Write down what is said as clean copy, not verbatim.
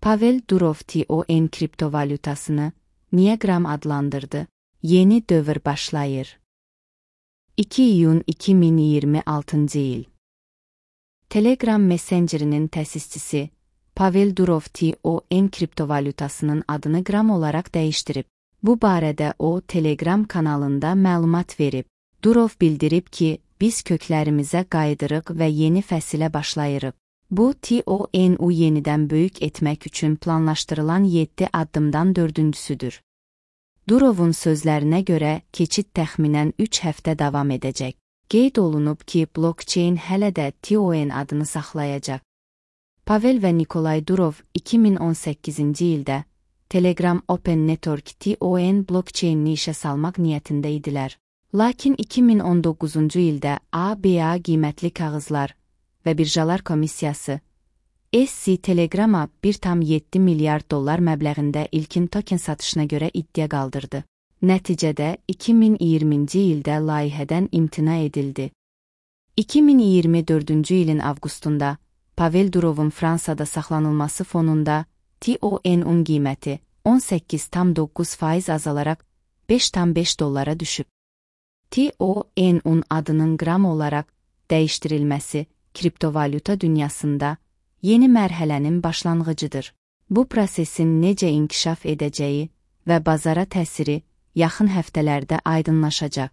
Pavel Durov TON kriptovalyutasını niye gram adlandırdı? Yeni dövr başlayır. 2 iyun 2026 yıl. Telegram Messenger'inin tesisçisi Pavel Durov TON kriptovalyutasının adını gram olarak değiştirip, bu barədə o Telegram kanalında məlumat verib. Durov bildirib ki, biz köklərimizə qayıdırıq və yeni fəsilə başlayırıq. Bu, TON-u yenidən böyük etmək üçün planlaşdırılan 7 addımdan 4-cüsüdür. Durovun sözlərinə görə, keçid təxminən 3 həftə davam edəcək. Qeyd olunub ki, blockchain hələ də TON adını saxlayacaq. Pavel və Nikolay Durov 2018-ci ildə Telegram Open Network TON blockchainini işə salmaq niyyətində idilər. Lakin 2019-cu ildə ABA qiymətli kağızlar və birjalar komissiyası SC Telegram'a 1,7 milyard dollar məbləğində ilkin token satışına görə iddia qaldırdı. Nəticədə 2020-ci ildə layihədən imtina edildi. 2024-cü ilin avqustunda Pavel Durovun Fransada saxlanılması fonunda TON-un qiyməti 18,9% azalaraq 5,5 dollara düşüb. TON-un adının gram olaraq dəyişdirilməsi kriptovalyuta dünyasında yeni mərhələnin başlanğıcıdır. Bu prosesin necə inkişaf edəcəyi və bazara təsiri yaxın həftələrdə aydınlaşacaq.